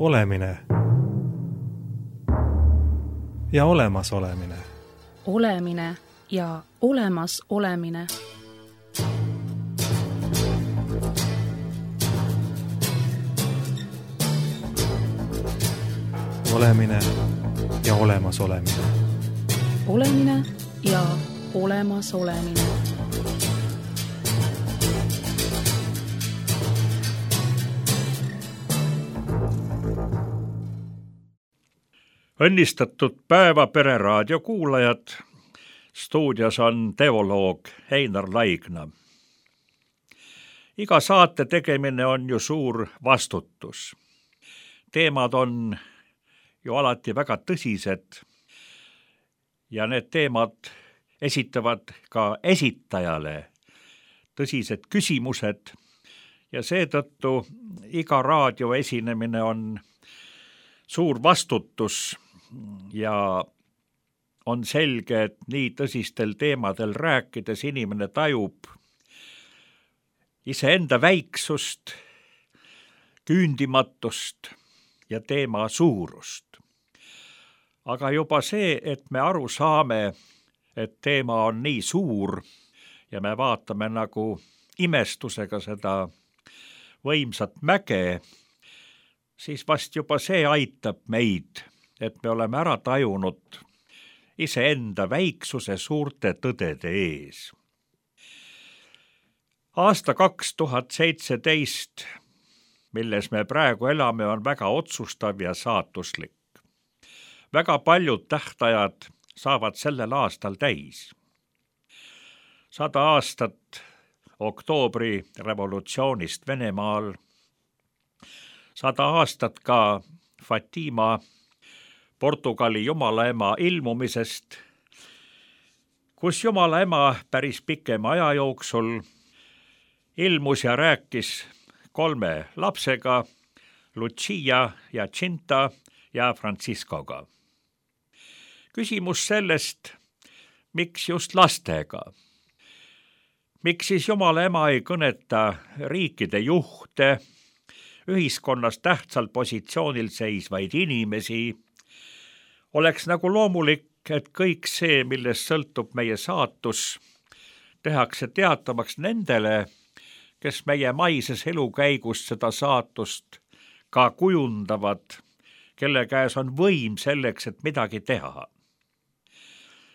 Olemine ja olemasolemine. Olemine ja olemas olemine. Olemine ja olemas olemine. Olemine ja olemas olemine. Õnnistatud päeva Pereraadio kuulajad. Stuudios on teoloog Einar Laigna. Iga saate tegemine on ju suur vastutus. Teemad on ju alati väga tõsised ja need teemad esitavad ka esitajale tõsised küsimused ja seetõttu iga raadioesinemine on suur vastutus ja on selge, et nii tõsistel teemadel rääkides inimene tajub iseenda väiksust, küündimatust ja teema suurust. Aga juba see, et me aru saame, et teema on nii suur ja me vaatame nagu imestusega seda võimsat mäge, siis vast juba see aitab meid, et me oleme ära tajunud iseenda väiksuse suurte tõdede ees. Aasta 2017, milles me praegu elame, on väga otsustav ja saatuslik. Väga paljud tähtajad saavad sellel aastal täis. 100 aastat oktoobri revolutsioonist Venemaal, 100 aastat ka Fatima Portugali jumalaema ilmumisest, kus jumalaema päris pikema aja jooksul ilmus ja rääkis 3 lapsega, Lucia ja Cinta ja Franciscoga. Küsimus sellest, miks just lastega? Miks siis jumalaema ei kõneta riikide juhte, ühiskonnas tähtsal positsioonil seisvaid inimesi? Oleks nagu loomulik, et kõik see, millest sõltub meie saatus, tehakse teatavaks nendele, kes meie maises elukäigus seda saatust ka kujundavad, kelle käes on võim selleks, et midagi teha.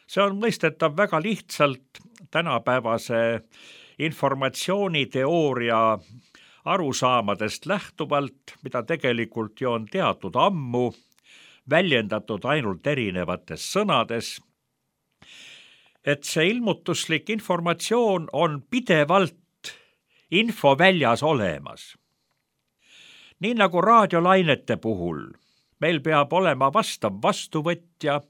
See on mõistetav väga lihtsalt tänapäevase informatsiooniteooria arusaamadest lähtuvalt, mida tegelikult ju on teatud ammu, väljendatud ainult erinevates sõnades, et see ilmutuslik informatsioon on pidevalt infoväljas olemas. Nii nagu raadiolainete puhul, meil peab olema vastav vastuvõtja,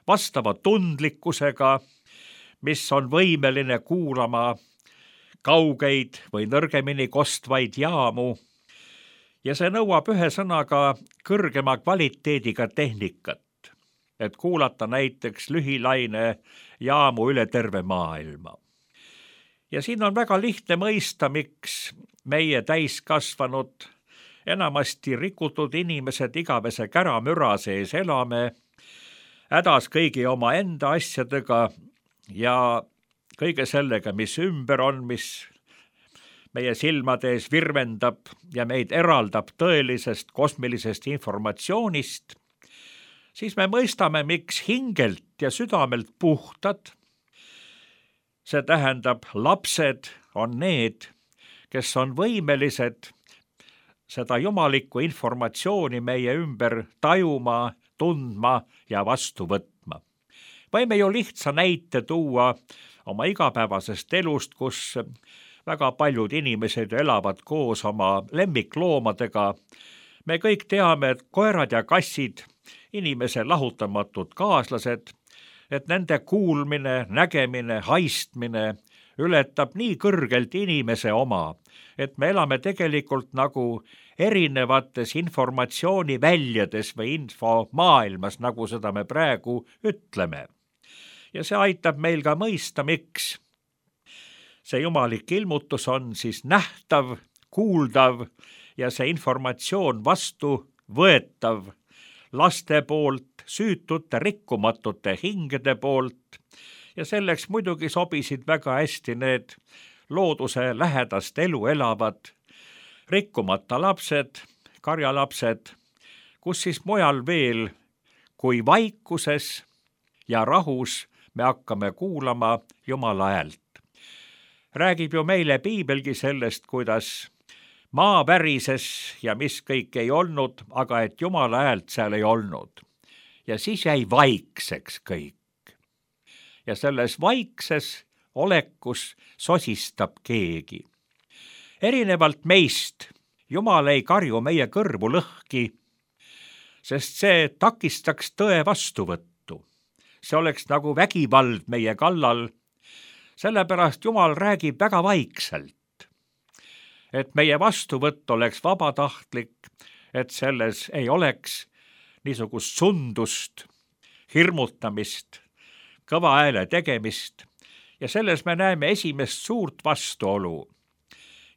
vastava tundlikkusega, mis on võimeline kuulama kaugeid või nõrgemini kostvaid jaamu, ja see nõuab ühe sõnaga kõrgema kvaliteediga tehnikat, et kuulata näiteks lühilaine jaamu üle terve maailma. Ja siin on väga lihtne mõista, miks meie täiskasvanud, enamasti rikutud inimesed igavese käramüra sees elame, hädas kõigi oma enda asjadega ja kõige sellega, mis ümber on, mis meie silmade ees virvendab ja meid eraldab tõelisest kosmilisest informatsioonist, siis me mõistame, miks hingelt ja südamelt puhtad, see tähendab, lapsed on need, kes on võimelised seda jumalikku informatsiooni meie ümber tajuma, tundma ja vastu võtma. Võime ju lihtsa näite tuua oma igapäevasest elust, kus väga paljud inimesed elavad koos oma lemmikloomadega. Me kõik teame, et koerad ja kassid, inimese lahutamatud kaaslased, et nende kuulmine, nägemine, haistmine ületab nii kõrgelt inimese oma, et me elame tegelikult nagu erinevates informatsiooniväljades või infomaailmas, nagu seda me praegu ütleme. Ja see aitab meil ka mõista, miks see jumalik ilmutus on siis nähtav, kuuldav ja see informatsioon vastu võetav laste poolt, süütute rikkumatute hingede poolt ja selleks muidugi sobisid väga hästi need looduse lähedast elu elavad rikkumata lapsed, karjalapsed, kus siis mujal veel kui vaikuses ja rahus me hakkame kuulama Jumala häält. Räägib ju meile piibelgi sellest, kuidas maa värises ja mis kõik ei olnud, aga et Jumala häält seal ei olnud. Ja siis jäi vaikseks kõik. Ja selles vaikses olekus sosistab keegi. Erinevalt meist Jumal ei karju meie kõrvu lõhki, sest see takistaks tõe vastuvõttu. See oleks nagu vägivald meie kallal. Sellepärast Jumal räägib väga vaikselt, et meie vastuvõtt oleks vabatahtlik, et selles ei oleks niisugust sundust, hirmutamist, kõva hääle tegemist ja selles me näeme esimest suurt vastuolu.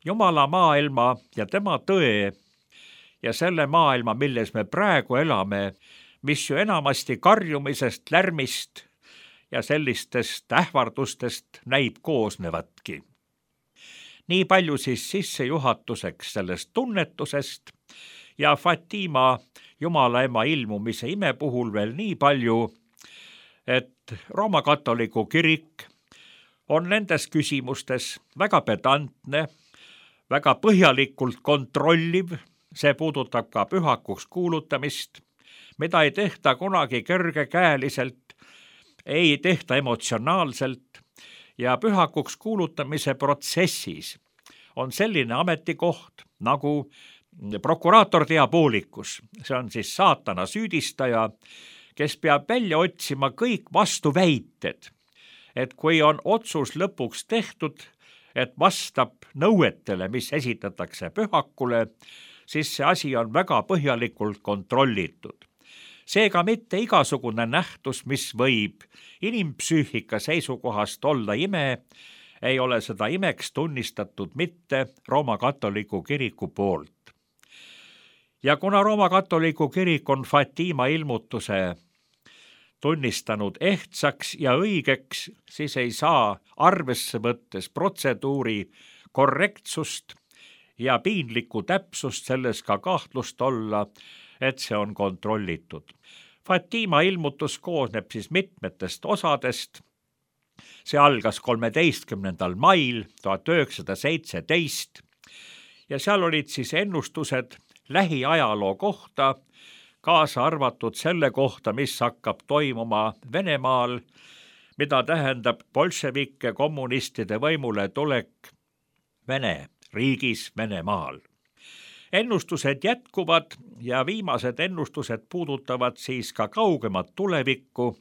Jumala maailma ja tema tõe ja selle maailma, milles me praegu elame, mis ju enamasti karjumisest, lärmist ja sellistest ähvardustest näib koosnevatki. Nii palju siis sissejuhatuseks sellest tunnetusest ja Fatima Jumala ema ilmumise ime puhul veel nii palju, et Rooma katoliku kirik on nendes küsimustes väga pedantne, väga põhjalikult kontrolliv, see puudutab ka pühakuks kuulutamist, mida ei tehta kunagi kergekäeliselt, ei tehta emotsionaalselt ja pühakuks kuulutamise protsessis on selline ametikoht nagu prokuraator diabolikus. See on siis saatana süüdistaja, kes peab välja otsima kõik vastuväited, et kui on otsus lõpuks tehtud, et vastab nõuetele, mis esitatakse pühakule, siis see asi on väga põhjalikult kontrollitud. Seega mitte igasugune nähtus, mis võib inimpsüühika seisukohast olla ime, ei ole seda imeks tunnistatud mitte Rooma katoliku kiriku poolt. Ja kuna Rooma katoliku kirik on Fatima ilmutuse tunnistanud ehtsaks ja õigeks, siis ei saa arvesse võttes protseduuri korrektsust ja piinlikku täpsust selles ka kahtlust olla, et see on kontrollitud. Fatima ilmutus koosneb siis mitmetest osadest. See algas 13. mail 1917 ja seal olid siis ennustused lähiajaloo kohta, kaasa arvatud selle kohta, mis hakkab toimuma Venemaal, mida tähendab bolševike kommunistide võimule tulek Vene riigis Venemaal. Ennustused jätkuvad ja viimased ennustused puudutavad siis ka kaugemat tulevikku.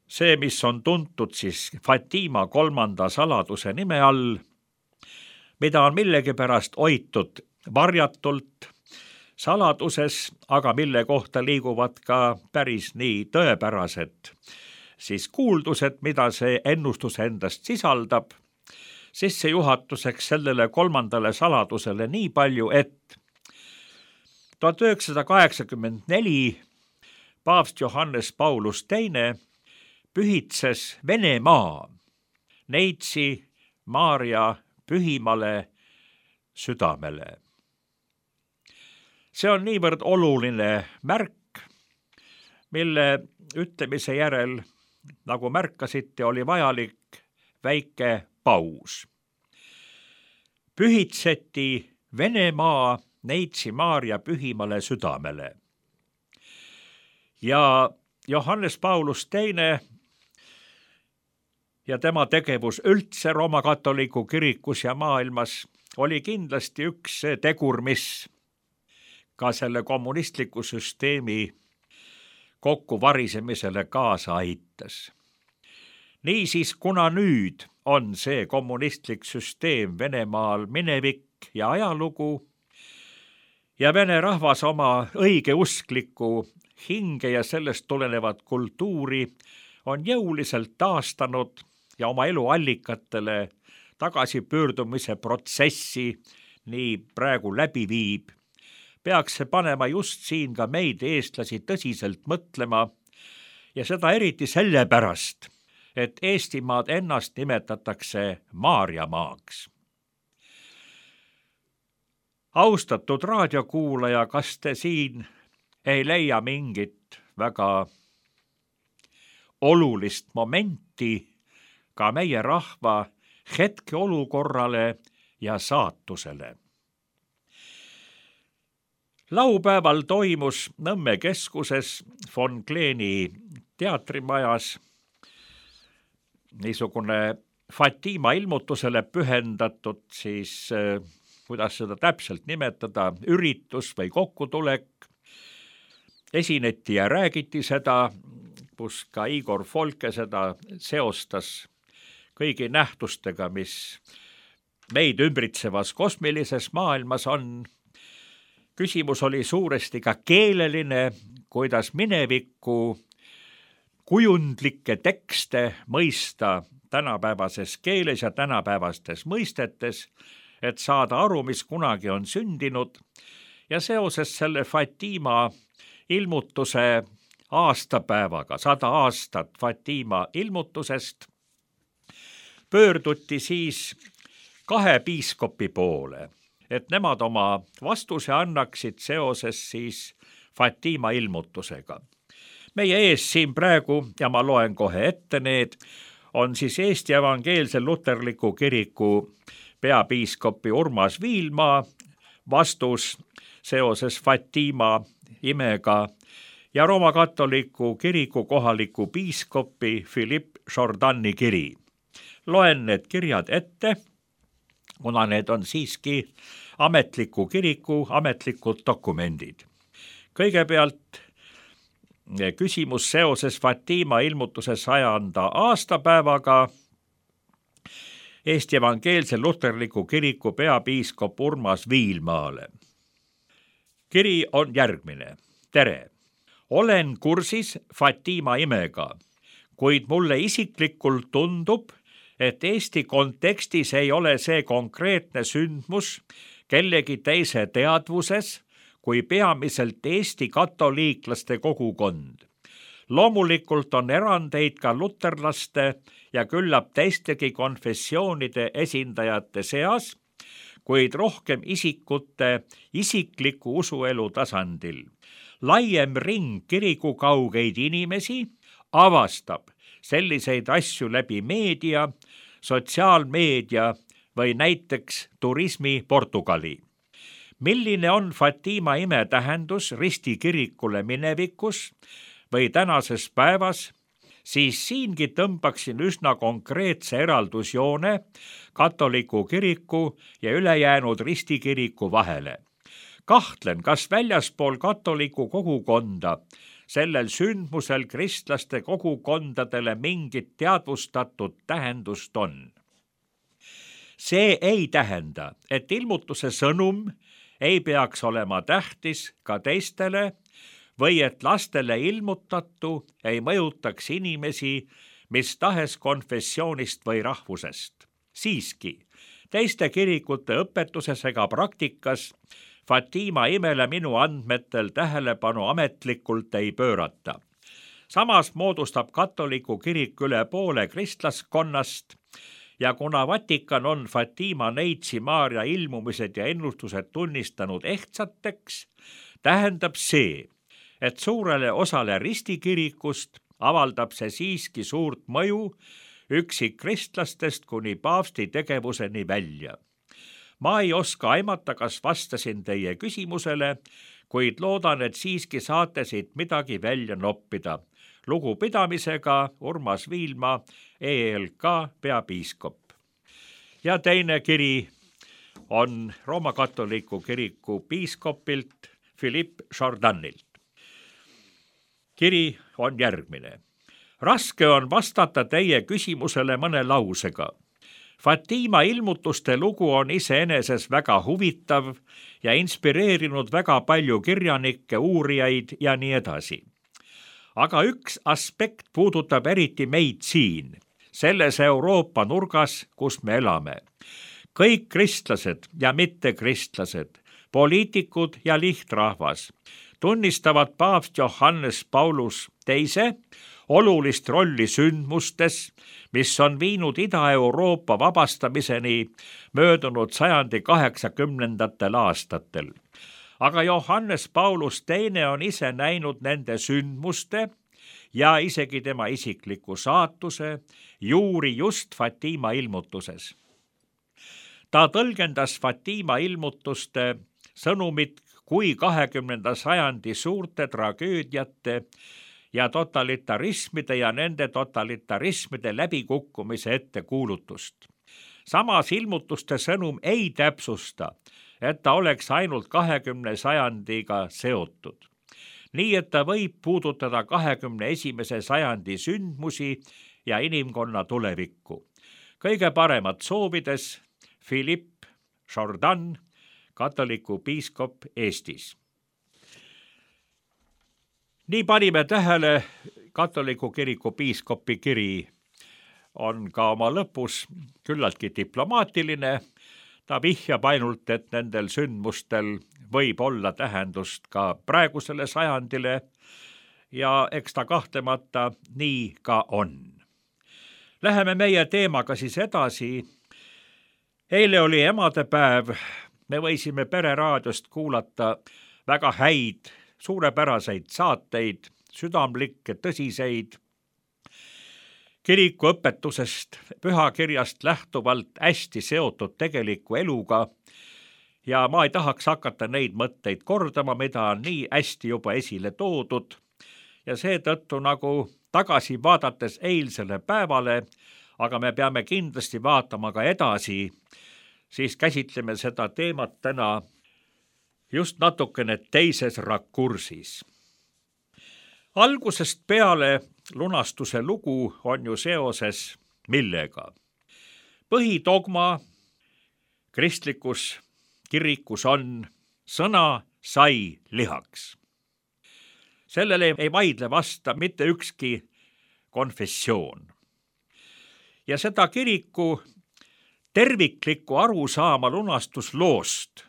See, mis on tuntud siis Fatima 3. saladuse nime all, mida on millegipärast hoitud varjatult saladuses, aga mille kohta liiguvad ka päris nii tõepärased siis kuuldused, mida see ennustus endast sisaldab. Sissejuhatuseks sellele 3. saladusele nii palju, et 1984 paavst Johannes Paulus II pühitses Venemaa Neitsi Maarja pühimale südamele. See on niivõrd oluline märk, mille ütlemise järel, nagu märkasite, oli vajalik väike paus. Pühitseti Venemaa Neitsi Maarja pühimale südamele. Ja Johannes Paulus II ja tema tegevus üldse Rooma katoliku kirikus ja maailmas oli kindlasti üks tegur, mis ka selle kommunistliku süsteemi kokkuvarisemisele kaasa aitas. Niisiis, kuna nüüd on see kommunistlik süsteem Venemaal minevik ja ajalugu ja vene rahvas oma õigeusklikku hinge ja sellest tulenevat kultuuri on jõuliselt taastanud ja oma eluallikatele tagasipöördumise protsessi nii praegu läbi viib, peaks see panema just siin ka meid, eestlasi, tõsiselt mõtlema ja seda eriti sellepärast, et Eestimaad ennast nimetatakse Maarjamaaks. Austatud raadiokuulaja, kas te siin ei leia mingit väga olulist momenti ka meie rahva hetkeolukorrale ja saatusele? Laupäeval toimus Nõmme keskuses von Kleeni teatrimajas niisugune Fatima ilmutusele pühendatud siis, kuidas seda täpselt nimetada, üritus või kokkutulek. Esineti ja räägiti seda, kus ka Igor Folke seda seostas kõigi nähtustega, mis meid ümbritsevas kosmilises maailmas on. Küsimus oli suuresti ka keeleline, kuidas minevikku kujundlikke tekste mõista tänapäevases keeles ja tänapäevastes mõistetes, et saada aru, mis kunagi on sündinud. Ja seoses selle Fatima ilmutuse aastapäevaga, 100 aastat Fatima ilmutusest, pöörduti siis 2 piiskopi poole, et nemad oma vastuse annaksid seoses siis Fatima ilmutusega. Meie ees siin praegu, ja ma loen kohe ette need, on siis Eesti Evangeelse Luterliku Kiriku peapiiskopi Urmas Viilma vastus seoses Fatima imega ja Rooma katoliku kiriku kohaliku piiskopi Philippe Jourdani kiri. Loen need kirjad ette, kuna need on siiski ametliku kiriku ametlikud dokumendid. Kõigepealt küsimus seoses Fatima ilmutuse 100. aastapäevaga Eesti Evangeelse Luterliku Kiriku peapiiskop Urmas Viilmaale. Kiri on järgmine. Tere! Olen kursis Fatima imega, kuid mulle isiklikult tundub, et Eesti kontekstis ei ole see konkreetne sündmus kellegi teise teadvuses kui peamiselt Eesti katoliiklaste kogukond. Loomulikult on erandeid ka luterlaste ja küllap teistegi konfessioonide esindajate seas, kuid rohkem isikute isikliku usuelu tasandil. Laiem ring kiriku kaugeid inimesi avastab selliseid asju läbi meedia, sotsiaalmeedia või näiteks turismi Portugali. Milline on Fatima ime tähendus Risti kirikule minevikus või tänases päevas, siis siingi tõmbaksin üsna konkreetse eraldusjoone katoliku kiriku ja ülejäänud Risti kiriku vahele. Kahtlen, kas väljaspool katoliku kogukonda sellel sündmusel kristlaste kogukondadele mingit teadvustatud tähendust on. See ei tähenda, et ilmutuse sõnum ei peaks olema tähtis ka teistele või et lastele ilmutatu ei mõjutaks inimesi mis tahes konfessioonist või rahvusest. Siiski, teiste kirikute õpetuses ega praktikas Fatima imele minu andmetel tähelepanu ametlikult ei pöörata. Samas moodustab katoliku kirik üle poole kristlaskonnast ja kuna Vatikan on Fatima neitsi Maarja ilmumised ja ennustused tunnistanud ehtsateks, tähendab see, et suurele osale ristikirikust avaldab see siiski suurt mõju üksik kristlastest kuni paavsti tegevuseni välja. Ma ei oska aimata, kas vastasin teie küsimusele, kuid loodan, et siiski saate siit midagi välja noppida. Lugupidamisega Urmas Viilma, ELK peapiiskop. Ja teine kiri on Rooma katoliku kiriku piiskopilt Philippe Jourdanilt. Kiri on järgmine. Raske on vastata teie küsimusele mõne lausega. Fatima ilmutuste lugu on iseeneses väga huvitav ja inspireerinud väga palju kirjanikke, uurijaid ja nii edasi. Aga üks aspekt puudutab eriti meid siin, selles Euroopa nurgas, kus me elame. Kõik kristlased ja mittekristlased poliitikud ja lihtrahvas tunnistavad paavst Johannes Paulus II olulist rolli sündmustes, mis on viinud Ida-Euroopa vabastamiseni möödunud sajandi 80. aastatel. Aga Johannes Paulus II on ise näinud nende sündmuste ja isegi tema isikliku saatuse juuri just Fatima ilmutuses. Ta tõlgendas Fatima ilmutuste sõnumit kui 20. sajandi suurte tragöödiate ja totalitarismide ja nende totalitarismide läbikukkumise ettekuulutust. Samas ilmutuste sõnum ei täpsusta, et ta oleks ainult 20. sajandiga seotud. Nii et ta võib puudutada 21. sajandi sündmusi ja inimkonna tulevikku. Kõige paremat soovides Philippe Jourdan, katoliku piiskop Eestis. Nii panime tähele, katoliku kiriku piiskopi kiri on ka oma lõpus küllaltki diplomaatiline. Ta vihjab ainult, et nendel sündmustel võib olla tähendust ka praegusele sajandile ja eks ta kahtlemata nii ka on. Läheme meie teemaga siis edasi. Eile oli emadepäev. Me võisime Pereraadiost kuulata väga häid, suurepäraseid saateid, südamlikke, tõsiseid, kiriku õpetusest, pühakirjast lähtuvalt hästi seotud tegeliku eluga ja ma ei tahaks hakata neid mõtteid kordama, mida on nii hästi juba esile toodud ja seetõttu nagu tagasi vaadates eilsele päevale, aga me peame kindlasti vaatama ka edasi, siis käsitleme seda teemat täna just natukene teises rakursis. Algusest peale lunastuse lugu on ju seoses millega? Põhidogma kristlikus kirikus on sõna sai lihaks. Sellele ei vaidle vasta mitte ükski konfessioon. Ja seda kiriku terviklikku arusaama lunastusloost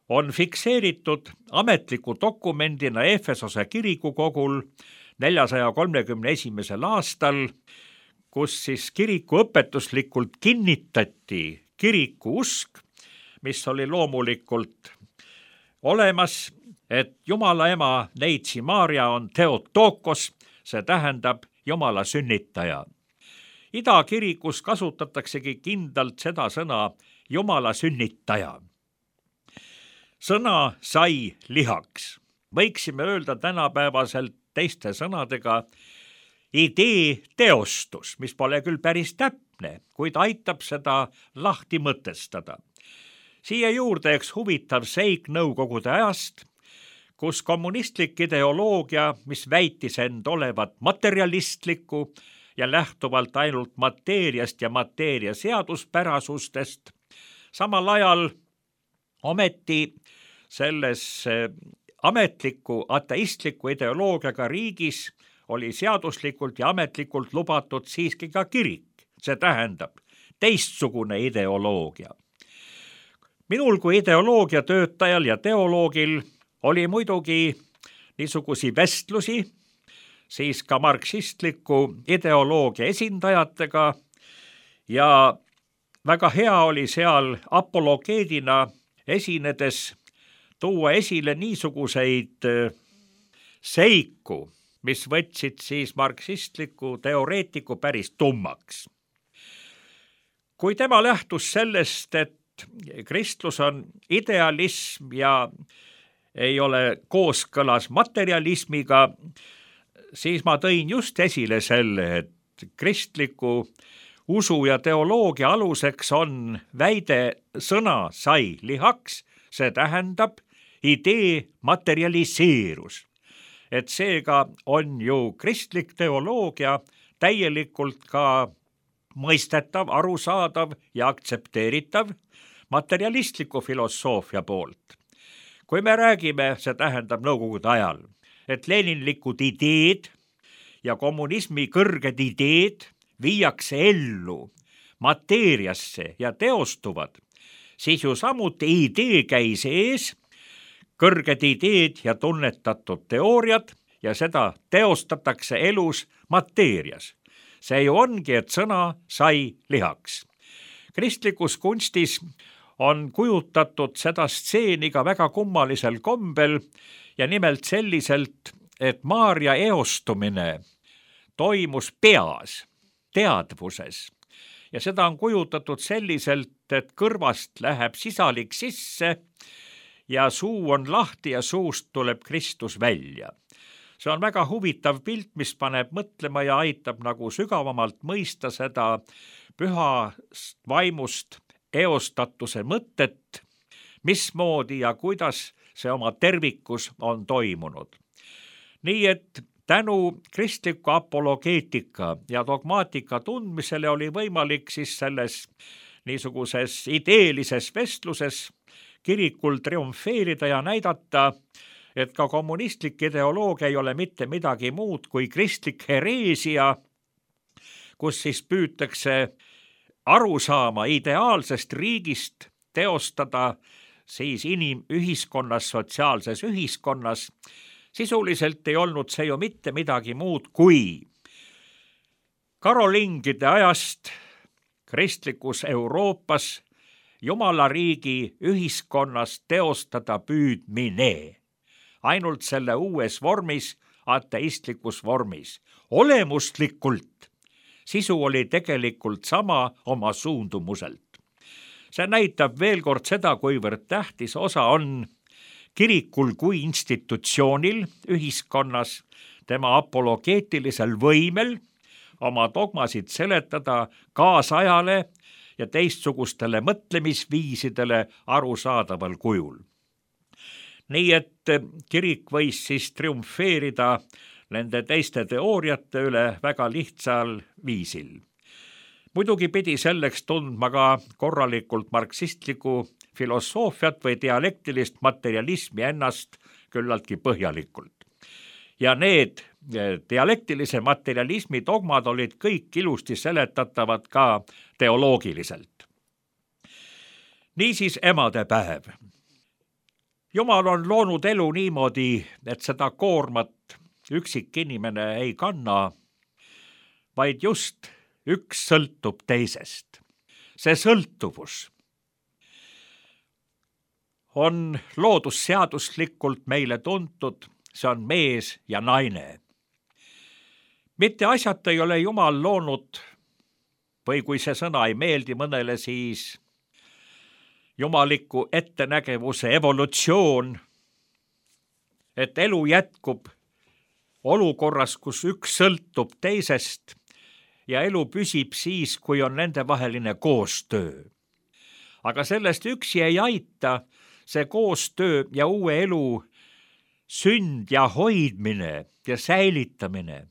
on fikseeritud ametliku dokumendina Efesose kirikukogul 431. aastal, kus siis kiriku õpetuslikult kinnitati kiriku usk, mis oli loomulikult olemas, et Jumala ema Neitsi Maarja on Theotokos, see tähendab Jumala sünnitaja. Idakirikus kasutataksegi kindlalt seda sõna Jumala sünnitaja. Sõna sai lihaks. Võiksime öelda tänapäevaselt teiste sõnadega idee teostus, mis pole küll päris täpne, kuid aitab seda lahti mõtestada. Siia juurde üks huvitav seik nõukogude ajast, kus kommunistlik ideoloogia, mis väitis end olevat materialistlikku ja lähtuvalt ainult mateeriast ja mateeria seaduspärasustest, samal ajal ometi selles ametliku ateistliku ideoloogiaga riigis oli seaduslikult ja ametlikult lubatud siiski ka kirik, see tähendab teistsugune ideoloogia. Minul kui ideoloogia töötajal ja teoloogil oli muidugi niisugusi vestlusi, siis ka marksistliku ideoloogia esindajatega ja väga hea oli seal apologeedina esinedes tuua esile niisuguseid seiku, mis võtsid siis marksistliku teoreetiku päris tummaks. Kui tema lähtus sellest, et kristlus on idealism ja ei ole kooskõlas materialismiga, siis ma tõin just esile selle, et kristliku usu ja teoloogia aluseks on väide sõna sai lihaks, see tähendab idee materialiseerus. Et seega on ju kristlik teoloogia täielikult ka mõistetav, arusaadav ja aktsepteeritav materialistliku filosoofia poolt. Kui me räägime, see tähendab nõukogude ajal, et leninlikud ideed ja kommunismi kõrged ideed viiakse ellu mateeriasse ja teostuvad, siis ju samuti idee käis ees, kõrged ideed ja tunnetatud teooriad ja seda teostatakse elus mateerias. See ju ongi, et sõna sai lihaks. Kristlikus kunstis on kujutatud seda stseeni ka väga kummalisel kombel ja nimelt selliselt, et Maarja eostumine toimus peas, teadvuses. Ja seda on kujutatud selliselt, et kõrvast läheb sisalik sisse ja suu on lahti ja suust tuleb Kristus välja. See on väga huvitav pilt, mis paneb mõtlema ja aitab nagu sügavamalt mõista seda pühast vaimust eostatuse mõtet, mismoodi ja kuidas see oma tervikus on toimunud. Nii et tänu kristliku apologeetika ja dogmaatika tundmisele oli võimalik siis selles niisuguses ideelises vestluses kirikul triumfeerida ja näidata, et ka kommunistlik ideoloogia ei ole mitte midagi muud kui kristlik hereesia, kus siis püütakse aru saama ideaalsest riigist teostada siis inimühiskonnas, sotsiaalses ühiskonnas. Sisuliselt ei olnud see ju mitte midagi muud kui karolingide ajast kristlikus Euroopas Jumala riigi ühiskonnas teostada püüdmine. Ainult selle uues vormis, ateistlikus vormis. Olemuslikult sisu oli tegelikult sama oma suundumuselt. See näitab veel kord seda, kuivõrd tähtis osa on kirikul kui institutsioonil ühiskonnas, tema apologeetilisel võimel oma dogmasid seletada kaasajale ja teistsugustele mõtlemisviisidele arusaadaval kujul. Nii et kirik võis siis triumfeerida nende teiste teooriate üle väga lihtsal viisil. Muidugi pidi selleks tundma ka korralikult marksistlikku filosoofiat või dialektilist materialismi ennast küllaltki põhjalikult. Ja need dialektilise materialismi dogmad olid kõik ilusti seletatavad ka teoloogiliselt. Niisiis emadepäev. Jumal on loonud elu niimoodi, et seda koormat üksik inimene ei kanna, vaid just üks sõltub teisest. See sõltuvus on loodusseaduslikult meile tuntud, see on mees ja naine. Mitte asjata ei ole Jumal loonud, või kui see sõna ei meeldi mõnele, siis jumaliku ettenägevuse evolutsioon, et elu jätkub olukorras, kus üks sõltub teisest ja elu püsib siis, kui on nendevaheline koostöö. Aga sellest üksi ei aita see koostöö ja uue elu sünd ja hoidmine ja säilitamine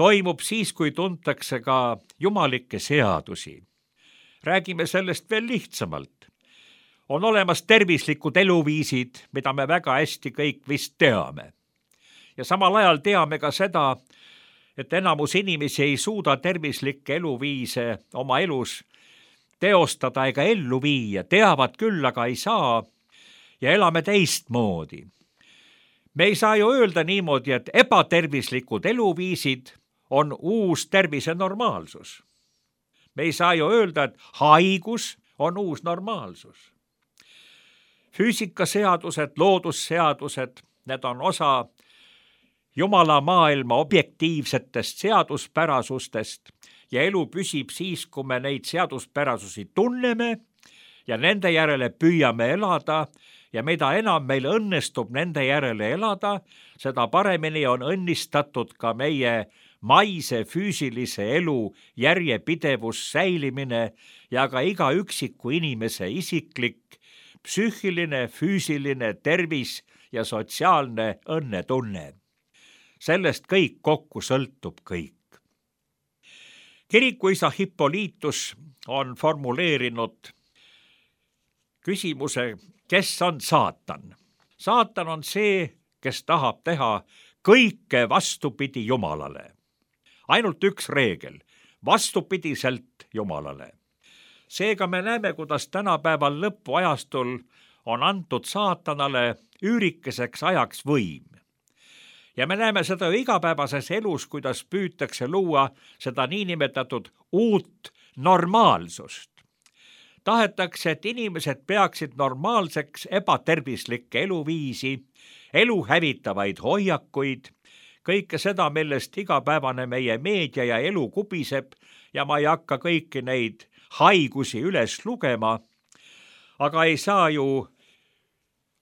toimub siis, kui tuntakse ka jumalikke seadusi. Räägime sellest veel lihtsamalt. On olemas tervislikud eluviisid, mida me väga hästi kõik vist teame. Ja samal ajal teame ka seda, et enamus inimesi ei suuda tervislikke eluviise oma elus teostada ega ellu viia, teavad küll, aga ei saa ja elame teistmoodi. Me ei saa ju öelda niimoodi, et ebatervislikud eluviisid on uus tervise normaalsus. Me ei saa ju öelda, et haigus on uus normaalsus. Füüsikaseadused, loodusseadused, need on osa Jumala maailma objektiivsetest seaduspärasustest ja elu püsib siis, kui me neid seaduspärasusi tunneme ja nende järele püüame elada ja mida enam meil õnnestub nende järele elada, seda paremini on õnnistatud ka meie maise füüsilise elu järjepidevus säilimine ja ka iga üksiku inimese isiklik, psüühiline, füüsiline tervis ja sotsiaalne õnnetunne. Sellest kõik kokku sõltub kõik. Kirikuisa Hippolytus on formuleerinud küsimuse, kes on saatan? Saatan on see, kes tahab teha kõike vastupidi Jumalale. Ainult üks reegel, vastupidiselt Jumalale. Seega me näeme, kuidas tänapäeval lõpuajastul on antud saatanale üürikeseks ajaks võim. Ja me näeme seda ju igapäevases elus, kuidas püütakse luua seda niinimetatud uut normaalsust. Tahetakse, et inimesed peaksid normaalseks ebatervislikke eluviisi, elu hävitavaid hoiakuid, kõike seda, millest igapäevane meie meedia ja elu kubiseb ja ma ei hakka kõiki neid haigusi üles lugema, aga ei saa ju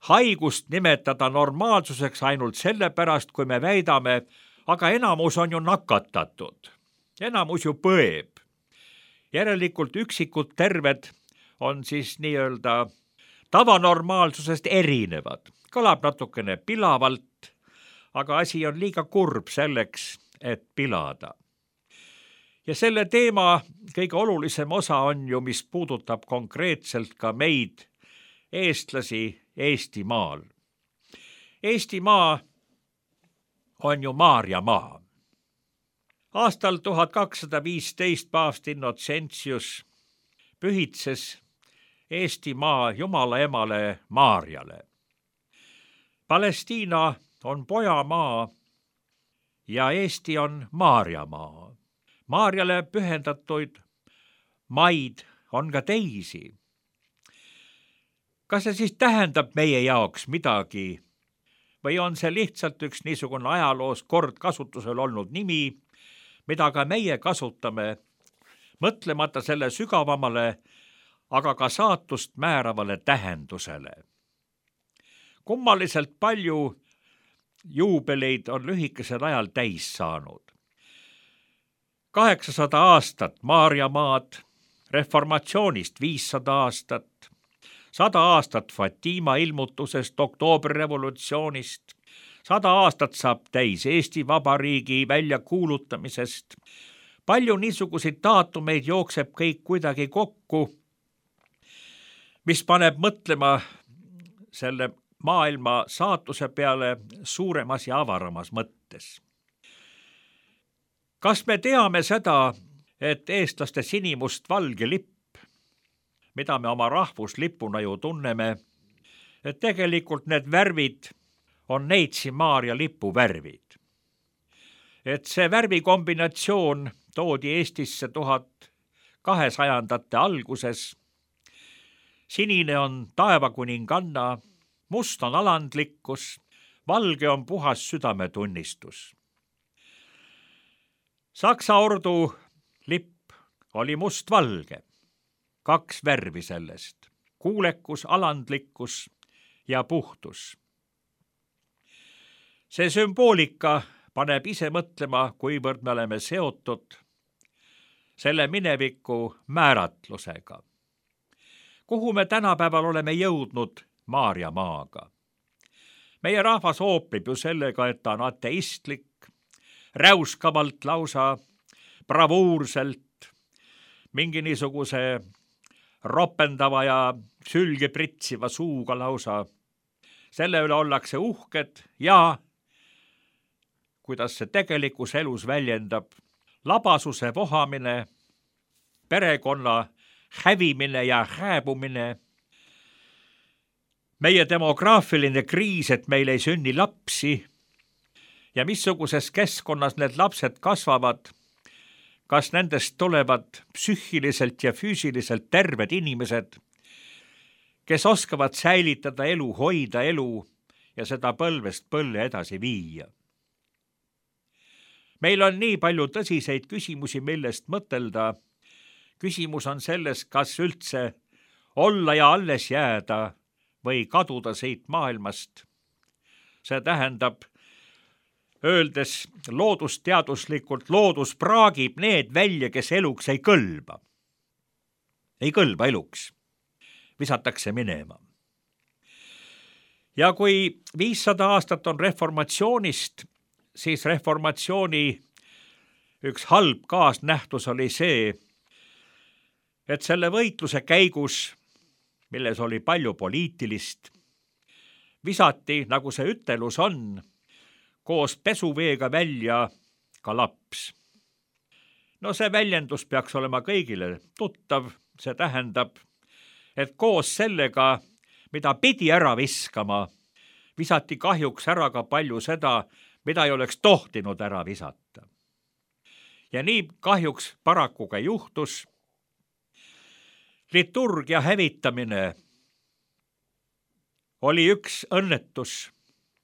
haigust nimetada normaalsuseks ainult sellepärast, kui me väidame, aga enamus on ju nakatatud, enamus ju põeb. Järelikult üksikud terved on siis nii-öelda tavanormaalsusest erinevad. Kõlab natukene pilavalt, aga asi on liiga kurb selleks, et pilada. Ja selle teema kõige olulisem osa on ju, mis puudutab konkreetselt ka meid, eestlasi Eestimaal. Eestimaa on ju Maarjamaa. Aastal 1215 paavst Innocentius pühitses Eestimaa Jumala emale Maarjale. Palestiina on pojamaa ja Eesti on Maarjamaa. Maarjale pühendatuid maid on ka teisi. Kas see siis tähendab meie jaoks midagi või on see lihtsalt üks niisugune ajaloos kord kasutusel olnud nimi, mida ka meie kasutame, mõtlemata selle sügavamale, aga ka saatust määravale tähendusele. Kummaliselt palju juubeleid on lühikesel ajal täis saanud. 800 aastat Maarjamaad, reformatsioonist 500 aastat, 100 aastat Fatima ilmutusest, oktoobrirevolutsioonist, 100 aastat saab täis Eesti Vabariigi väljakuulutamisest. Palju niisuguseid daatumeid jookseb kõik kuidagi kokku, mis paneb mõtlema selle maailma saatuse peale suuremas ja avaramas mõttes. Kas me teame seda, et eestlaste sinimust-valge lipp, mida me oma rahvuslipuna ju tunneme, et tegelikult need värvid on Neitsi Maarja lipu värvid. Et see värvikombinatsioon toodi Eestisse 1200ndate alguses. Sinine on taevakuninganna, must on alandlikkus, valge on puhas südametunnistus. Saksa ordu lipp oli must-valge, 2 värvi sellest, kuulekus, alandlikkus ja puhtus. See sümboolika paneb ise mõtlema, kuivõrd me oleme seotud selle mineviku määratlusega. Kuhu me tänapäeval oleme jõudnud Maarjamaaga? Meie rahvas oopleb ju sellega, et ta on ateistlik, räuskavalt lausa, bravuurselt, mingi niisuguse ropendava ja sülge pritsiva suuga lausa. Selle üle ollakse uhked ja, kuidas see tegelikus elus väljendab, labasuse vohamine, perekonna hävimine ja hääbumine, meie demograafiline kriis, et meil ei sünni lapsi ja missuguses keskkonnas need lapsed kasvavad, kas nendest tulevad psüühiliselt ja füüsiliselt terved inimesed, kes oskavad säilitada elu, hoida elu ja seda põlvest põlve edasi viia. Meil on nii palju tõsiseid küsimusi, millest mõtelda. Küsimus on selles, kas üldse olla ja alles jääda või kaduda siit maailmast. See tähendab, öeldes loodusteaduslikult, loodus praagib need välja, kes eluks ei kõlba. Ei kõlba eluks. Visatakse minema. Ja kui 500 aastat on reformatsioonist, siis reformatsiooni üks halb kaasnähtus oli see, et selle võitluse käigus, milles oli palju poliitilist, visati, nagu see ütelus on, koos pesuveega välja ka laps. No see väljendus peaks olema kõigile tuttav, see tähendab, et koos sellega, mida pidi ära viskama, visati kahjuks ära ka palju seda, mida ei oleks tohtinud ära visata. Ja nii kahjuks paraku ka juhtus. Liturgia hävitamine oli üks õnnetus,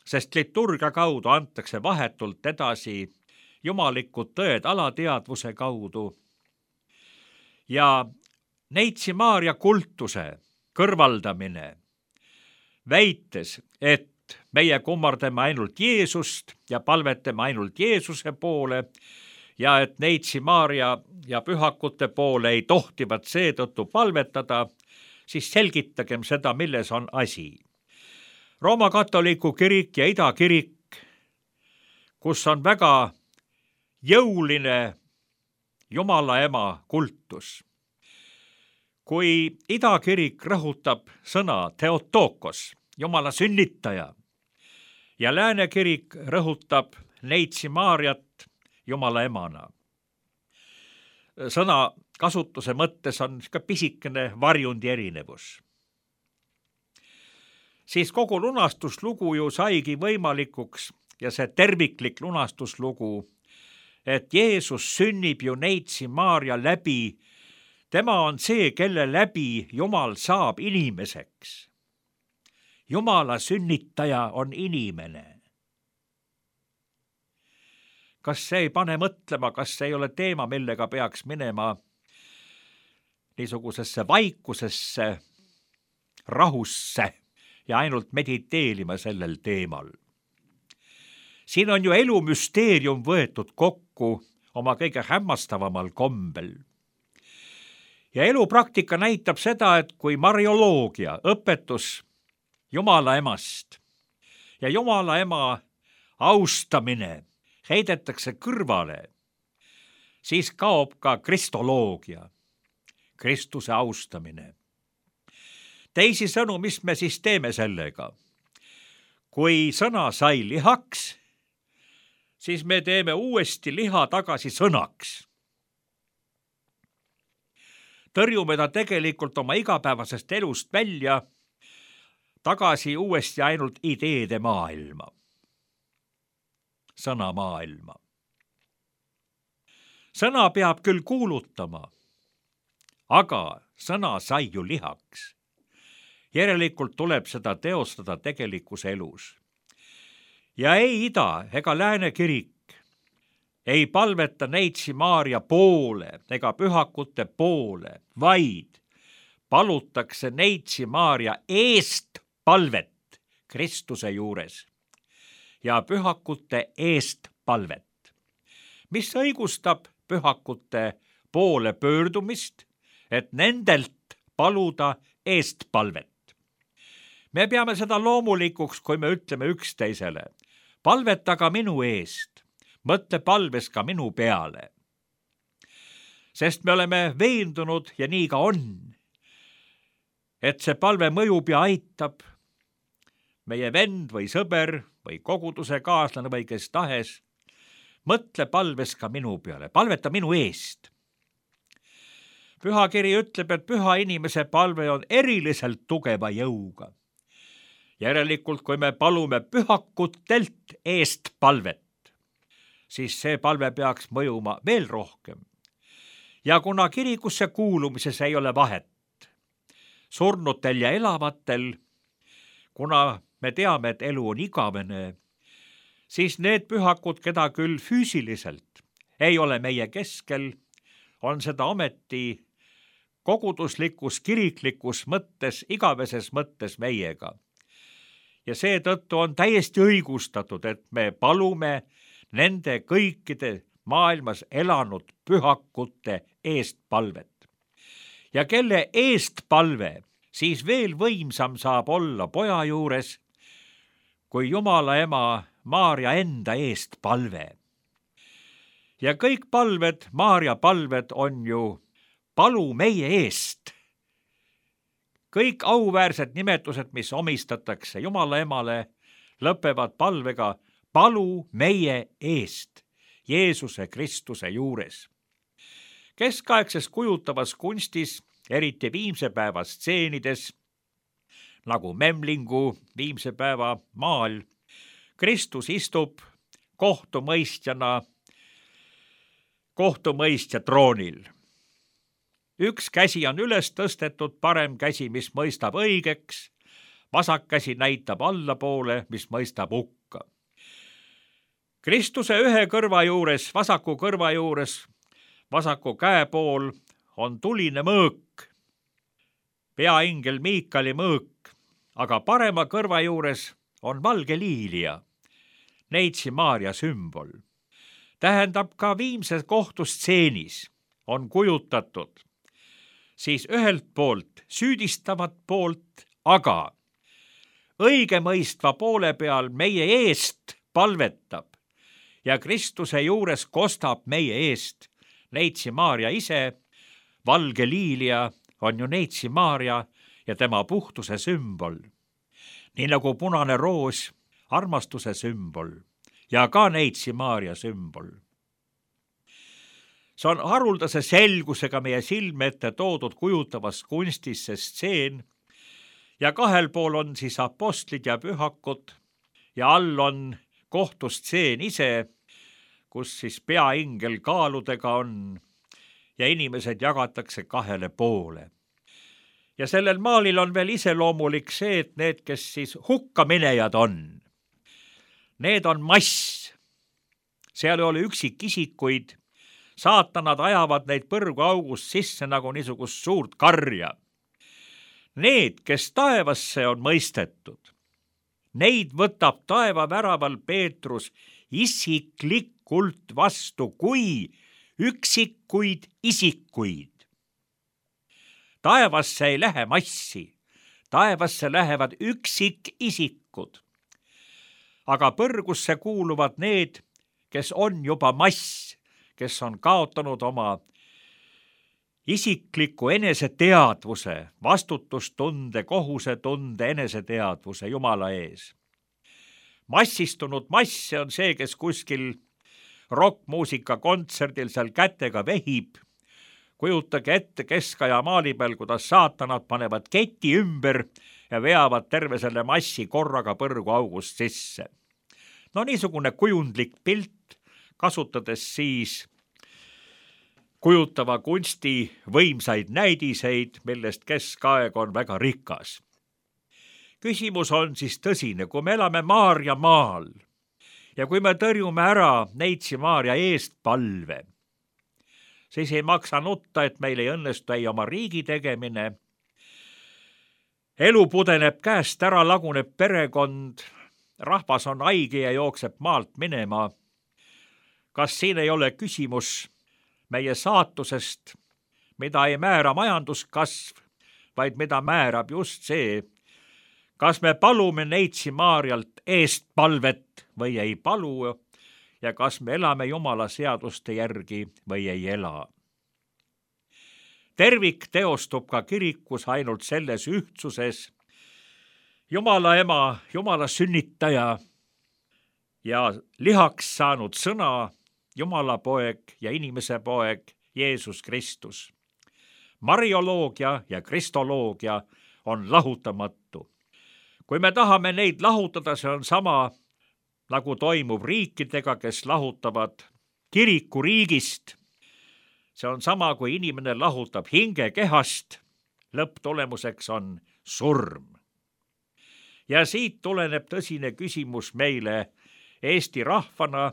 sest liturgia kaudu antakse vahetult edasi jumalikud tõed alateadvuse kaudu. Ja Neitsi Maarja kultuse kõrvaldamine, väites, et meie kummardame ainult Jeesust ja palvetame ainult Jeesuse poole ja et Neitsi Maarja ja pühakute poole ei tohtivat seetõttu palvetada, siis selgitagem seda, milles on asi. Rooma katoliku kirik ja Ida kirik, kus on väga jõuline Jumala ema kultus. Kui Ida kirik rõhutab sõna Theotokos, Jumala sünnitaja, ja Lääne kirik rõhutab Neitsi Maarjat Jumala emana. Sõna kasutuse mõttes on ka pisikene varjundi erinevus. Siis kogu lunastuslugu ju saigi võimalikuks ja see terviklik lunastuslugu, et Jeesus sünnib ju Neitsi Maarja läbi. Tema on see, kelle läbi Jumal saab inimeseks. Jumala sünnitaja on inimene. Kas see ei pane mõtlema, kas see ei ole teema, millega peaks minema niisugusesse vaikusesse, rahusse ja ainult mediteerima sellel teemal? Siin on ju elu müsteerium võetud kokku oma kõige hämmastavamal kombel. Ja elupraktika näitab seda, et kui marioloogia, õpetus Jumala emast ja Jumala ema austamine heidetakse kõrvale, siis kaob ka kristoloogia, Kristuse austamine. Teisisõnu, mis me siis teeme sellega? Kui sõna sai lihaks, siis me teeme uuesti liha tagasi sõnaks. Tõrjume ta tegelikult oma igapäevasest elust välja, tagasi uuesti ainult ideede maailma. Sõna maailma. Sõna peab küll kuulutama, aga sõna sai ju lihaks. Järelikult tuleb seda teostada tegelikus elus. Ja ei Ida ega Lääne kirik ei palveta Neitsi Maarja poole ega pühakute poole, vaid palutakse Neitsi Maarja eest palvet Kristuse juures ja pühakute eest palvet, mis õigustab pühakute poole pöördumist, et nendelt paluda eest palvet. Me peame seda loomulikuks, kui me ütleme üksteisele, palvetaga minu eest, mõtle palves ka minu peale. Sest me oleme veendunud ja nii ka on, et see palve mõjub ja aitab meie vend või sõber või koguduse kaaslane või kes tahes, mõtle palves ka minu peale, palveta minu eest. Pühakiri ütleb, et püha inimese palve on eriliselt tugeva jõuga. Järelikult, kui me palume pühakutelt eest palvet, siis see palve peaks mõjuma veel rohkem. Ja kuna kirikusse kuulumises ei ole vahet surnutel ja elavatel, kuna me teame, et elu on igavene, siis need pühakud, keda küll füüsiliselt ei ole meie keskel, on seda ometi koguduslikus, kiriklikus mõttes, igaveses mõttes meiega. Ja seetõttu on täiesti õigustatud, et me palume nende kõikide maailmas elanud pühakute eest palvet. Ja kelle eest palve siis veel võimsam saab olla poja juures, kui Jumala ema Maarja enda eest palve. Ja kõik palved, Maarja palved on ju palu meie eest. Kõik auväärsed nimetused, mis omistatakse Jumala emale, lõpevad palvega palu meie eest Jeesuse Kristuse juures. Keskaegses kujutavas kunstis eriti viimse päeva stseenides, nagu Memlingu viimse päeva maal, Kristus istub kohtumõistja troonil. Üks käsi on üles tõstetud, parem käsi, mis mõistab õigeks, vasak käsi näitab allapoole, mis mõistab hukka. Kristuse ühe kõrva juures, vasaku kõrva juures, vasaku käe pool on tuline mõõk, peaingel Miikali mõõk, aga parema kõrva juures on valge liilia, Neitsi Maarja sümbol. Tähendab, ka viimses kohtustseenis on kujutatud siis ühelt poolt süüdistavat poolt, aga õigemõistva poole peal meie eest palvetab ja Kristuse juures kostab meie eest Neitsi Maarja ise. Valge liilia on ju Neitsi Maarja ja tema puhtuse sümbol, nii nagu punane roos armastuse sümbol ja ka Neitsi Maarja sümbol. See on haruldase selgusega meie silme ette toodud kujutavas kunstis see stseen ja kahel pool on siis apostlid ja pühakud ja all on kohtustseen ise, kus siis peaingel kaaludega on ja inimesed jagatakse kahele poole. Ja sellel maalil on veel iseloomulik see, et need, kes siis hukkaminejad on, need on mass. Seal ei ole üksikisikuid, saatanad ajavad neid põrguaugust sisse nagu niisugust suurt karja. Need, kes taevasse on mõistetud, neid võtab taeva väraval Peetrus isiklikult vastu kui üksikuid isikuid. Taevasse ei lähe massi, taevasse lähevad üksikisikud. Aga põrgusse kuuluvad need, kes on juba mass, kes on kaotanud oma isikliku eneseteadvuse, vastutustunde, kohusetunde, eneseteadvuse Jumala ees. Massistunud mass on see, kes kuskil rokkmuusika kontserdil seal kätega vehib. Kujutage ette keskaja maali peal, kuidas saatanad panevad keti ümber ja veavad terve selle massi korraga põrguaugust sisse. No niisugune kujundlik pilt, kasutades siis kujutava kunsti võimsaid näidiseid, millest keskaeg on väga rikas. Küsimus on siis tõsine, kui me elame Maarja maal ja kui me tõrjume ära Neitsi Maarja eestpalve, siis ei maksa nutta, et meil ei õnnestu ei oma riigi tegemine. Elu pudeneb käest ära, laguneb perekond, rahvas on haige ja jookseb maalt minema. Kas siin ei ole küsimus meie saatusest, mida ei määra majanduskasv, vaid mida määrab just see, kas me palume Neitsi Maarjalt eestpalvet või ei palu ja kas me elame Jumala seaduste järgi või ei ela. Tervik teostub ka kirikus ainult selles ühtsuses. Jumala ema, Jumala sünnitaja ja lihaks saanud sõna, Jumala poeg ja inimese poeg Jeesus Kristus. Marioloogia ja kristoloogia on lahutamatu. Kui me tahame neid lahutada, see on sama nagu toimub riikidega, kes lahutavad kiriku riigist. See on sama, kui inimene lahutab hinge kehast, lõpptulemuseks on surm. Ja siit tuleneb tõsine küsimus meile Eesti rahvana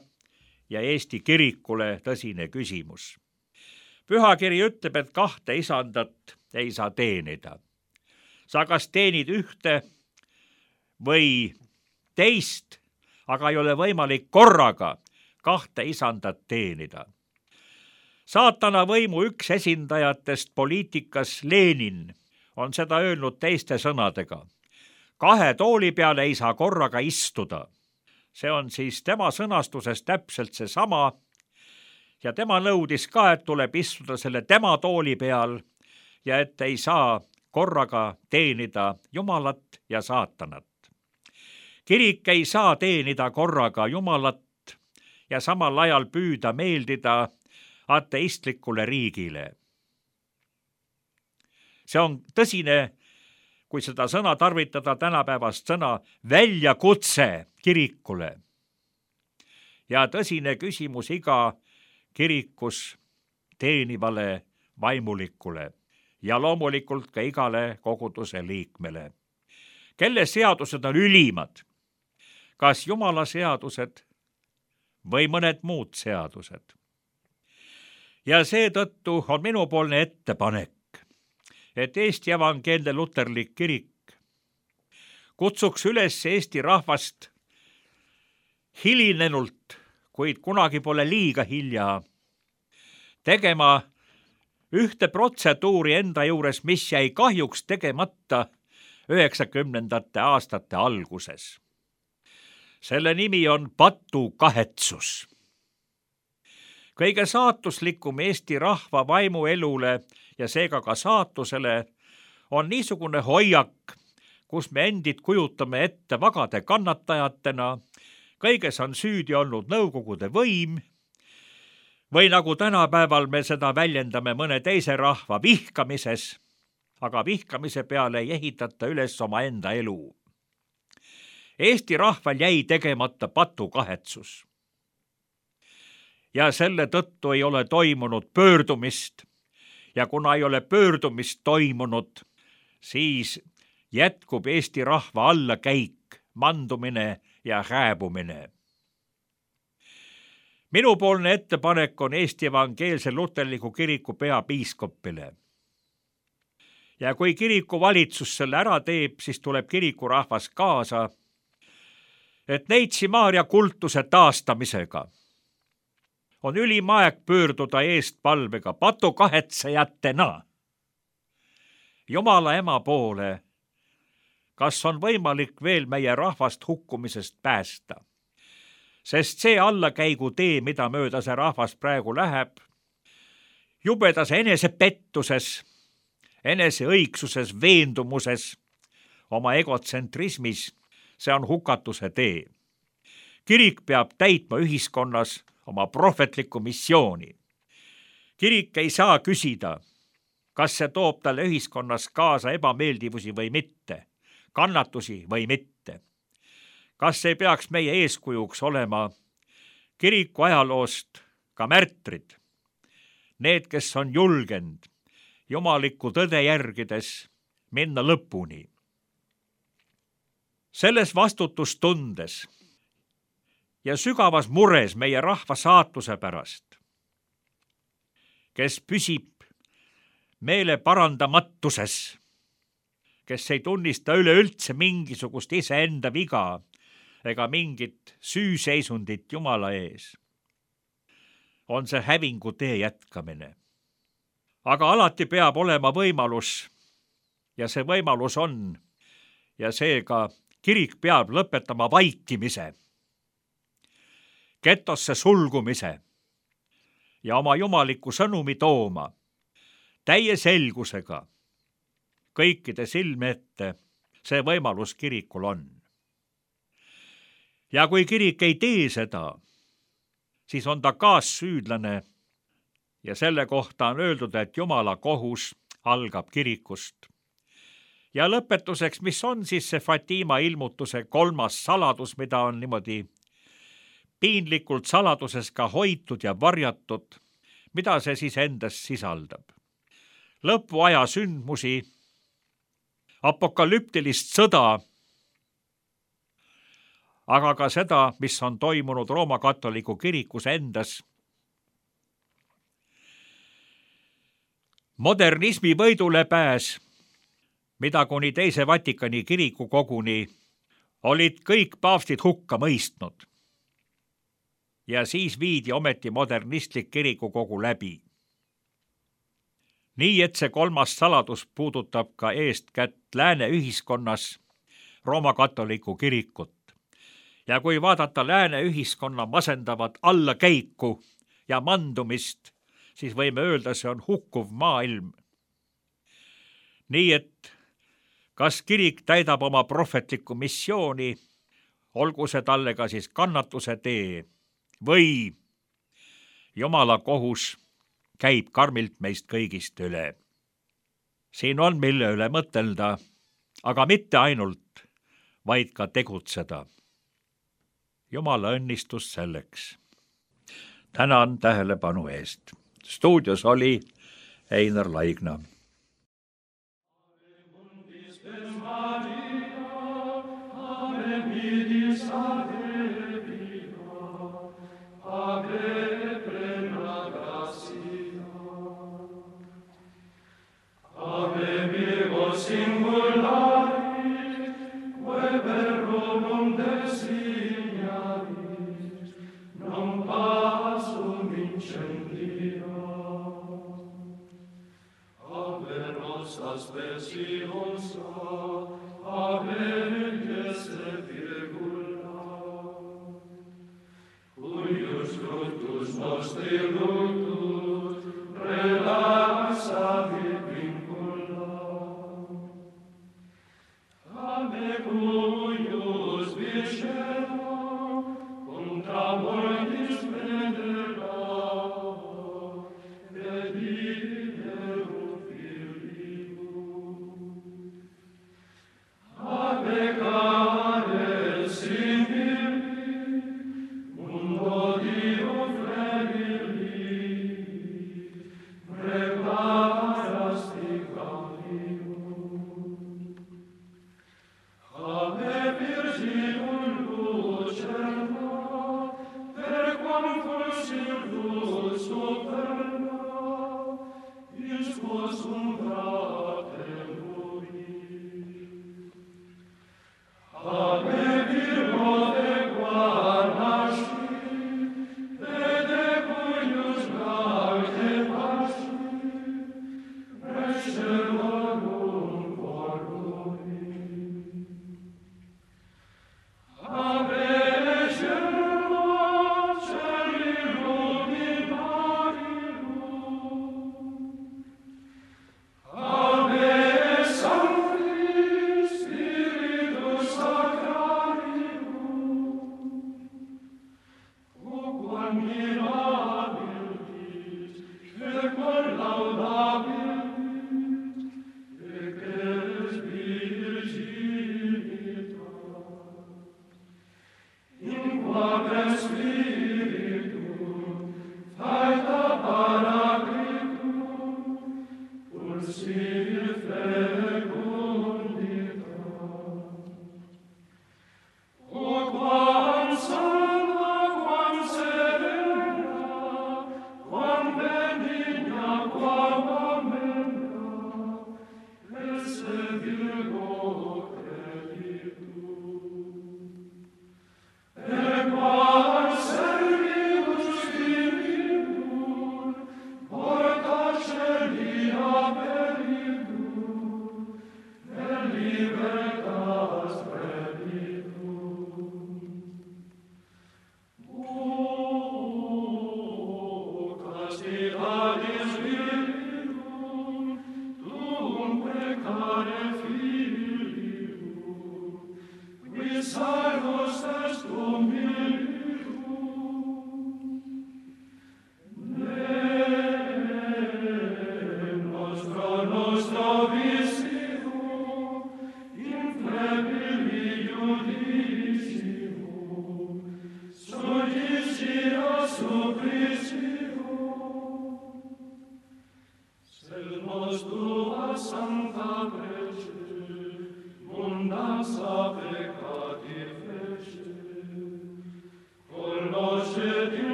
ja Eesti kirikule tõsine küsimus. Pühakiri ütleb, et kahte isandat ei saa teenida. Sa kas teenid ühte või teist, aga ei ole võimalik korraga kahte isandat teenida. Saatana võimu üks esindajatest poliitikas Lenin on seda öelnud teiste sõnadega. 2 tooli peale ei saa korraga istuda. See on siis tema sõnastuses täpselt seesama ja tema nõudis ka, et tuleb istuda selle tema tooli peal ja et ei saa korraga teenida Jumalat ja saatanat. Kirik ei saa teenida korraga Jumalat ja samal ajal püüda meeldida ateistlikule riigile. See on tõsine, kui seda sõna tarvitada, tänapäevast sõna, väljakutse kirikule. Ja tõsine küsimus iga kirikus teenivale vaimulikule ja loomulikult ka igale koguduse liikmele. Kelle seadused on ülimad? Kas Jumala seadused või mõned muud seadused? Ja seetõttu on minupoolne ettepanek, et Eesti Evangeelne Luterlik Kirik kutsuks üles Eesti rahvast hilinenult, kuid kunagi pole liiga hilja, tegema ühte protseduuri enda juures, mis jäi kahjuks tegemata 90. aastate alguses. Selle nimi on patukahetsus. Kõige saatuslikum Eesti rahva vaimuelule ja seega ka saatusele on niisugune hoiak, kus me endid kujutame ette vagade kannatajatena, kõiges on süüdi olnud Nõukogude võim, või nagu tänapäeval me seda väljendame mõne teise rahva vihkamises, aga vihkamise peale ei ehitata üles oma enda elu. Eesti rahval jäi tegemata patukahetsus. Ja selle tõttu ei ole toimunud pöördumist ja kuna ei ole pöördumist toimunud, siis jätkub Eesti rahva allakäik, mandumine ja hääbumine. Minupoolne ettepanek on Eesti Evangeelse Luterliku Kiriku peapiiskopile. Ja kui kiriku valitsus selle ära teeb, siis tuleb kirikurahvas kaasa, et Neitsi Maarja kultuse taastamisega on ülim aeg pöörduda eestpalvega patukahetsejatena Jumala ema poole, kas on võimalik veel meie rahvast hukkumisest päästa. Sest see allakäigu tee, mida mööda see rahvas praegu läheb, jubedas enesepettuses, eneseõigsuses, veendumuses, oma egotsentrismis, see on hukatuse tee. Kirik peab täitma ühiskonnas oma prohvetlikku missiooni. Kirik ei saa küsida, kas see toob talle ühiskonnas kaasa ebameeldivusi või mitte, kannatusi või mitte. Kas ei peaks meie eeskujuks olema kiriku ajaloost ka märtrid, need, kes on julgenud jumalikku tõde järgides minna lõpuni. Selles vastutustundes ja sügavas mures meie rahva saatuse pärast, kes püsib meele parandamatuses, kes ei tunnista üleüldse mingisugust iseenda viga ega mingit süüseisundit Jumala ees, on see hävingu tee jätkamine. Aga alati peab olema võimalus ja see võimalus on ja seega kirik peab lõpetama vaikimise, getosse sulgumise ja oma jumaliku sõnumi tooma täie selgusega kõikide silme ette. See võimalus kirikul on. Ja kui kirik ei tee seda, siis on ta kaassüüdlane ja selle kohta on öeldud, et Jumala kohus algab kirikust. Ja lõpetuseks, mis on siis see Fatima ilmutuse 3. saladus, mida on niimoodi piinlikult saladuses ka hoitud ja varjatud, mida see siis endas sisaldab? Lõpuaja sündmusi, apokalüptilist sõda, aga ka seda, mis on toimunud Rooma katoliku kirikus endas. Modernismi võidule pääs, mida kuni teise Vatikani kiriku koguni olid kõik paavstid hukka mõistnud. Ja siis viidi ometi modernistlik kirikukogu läbi. Nii, et see 3. saladus puudutab ka eestkätt lääne ühiskonnas Rooma katoliku kirikut. Ja kui vaadata lääne ühiskonna masendavat allakäiku ja mandumist, siis võime öelda, see on hukkuv maailm. Nii, et kas kirik täidab oma prohvetlikku missiooni, olgu see talle ka siis kannatuse tee, või Jumala kohus käib karmilt meist kõigist üle. siin on mille üle mõtelda, aga mitte ainult, vaid ka tegutseda. Jumala õnnistus selleks. Tänan tähelepanu eest. Stuudios oli Einar Laigna.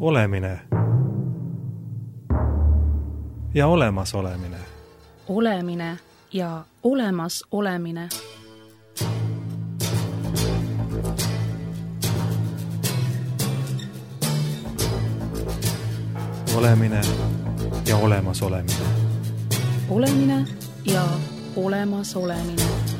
Olemine ja olemasolemine. Olemine ja olemas olemine. Olemine ja olemas olemine. Olemine ja olemas olemine.